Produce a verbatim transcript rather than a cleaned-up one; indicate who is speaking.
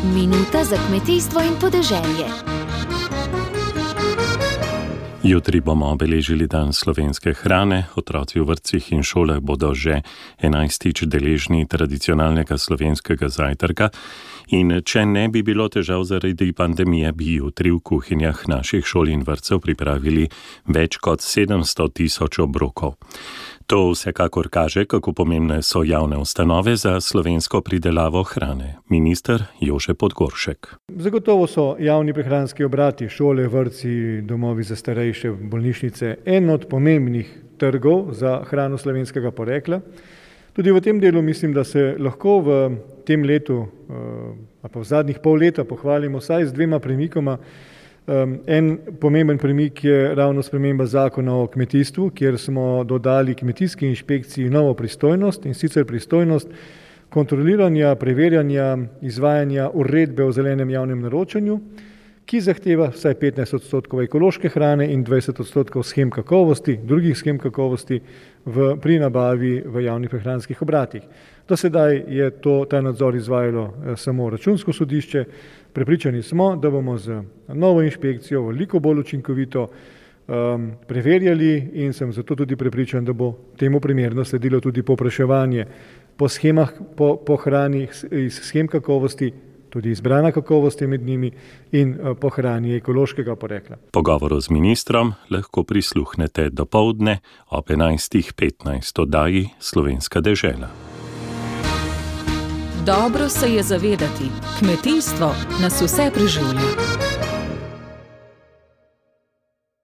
Speaker 1: Minuta za kmetijstvo in podeželje.
Speaker 2: Jutri bomo obeležili dan slovenske hrane. Otroci v vrtcih in šolah bodo že enajstič deležni tradicionalnega slovenskega zajtrka. In če ne bi bilo težav zaradi pandemije, bi jutri v kuhinjah naših šol in vrtcev pripravili več kot sedemsto tisoč obrokov. To vsekakor kaže, kako pomembne so javne ustanove za slovensko pridelavo hrane. Minister Jože Podgoršek.
Speaker 3: Zagotovo so javni prehranski obrati, šole, vrtci, domovi za starejše, bolnišnice en od pomembnih trgov za hrano slovenskega porekla. Tudi v tem delu mislim, da se lahko v tem letu, ali pa v zadnjih pol leta pohvalimo vsaj z dvema premikoma. En pomemben premik je ravno sprememba zakona o kmetijstvu, kjer smo dodali kmetijski inšpekciji novo pristojnost, in sicer pristojnost kontroliranja, preverjanja, izvajanja uredbe o zelenem javnem naročanju, ki zahteva vsaj petnajst odstotkov ekološke hrane in dvajset odstotkov shem kakovosti, drugih shem kakovosti v, pri nabavi v javnih prehranskih obratih. Do sedaj je to, ta nadzor izvajalo samo Računsko sodišče. Prepričani smo, da bomo z novo inšpekcijo veliko bolj učinkovito um, preverjali, in sem zato tudi prepričan, da bo temu primerno sledilo tudi povpraševanje po schemah, po, po hrani iz shem kakovosti, tudi izbrana kakovost je med njimi, in uh, po hrani ekološkega porekla.
Speaker 2: Pogovoru z ministrom lahko prisluhnete dopoldne ob enajstih petnajst oddaji Slovenska dežela.
Speaker 4: Dobro se je zavedati, kmetijstvo nas vse preživlja.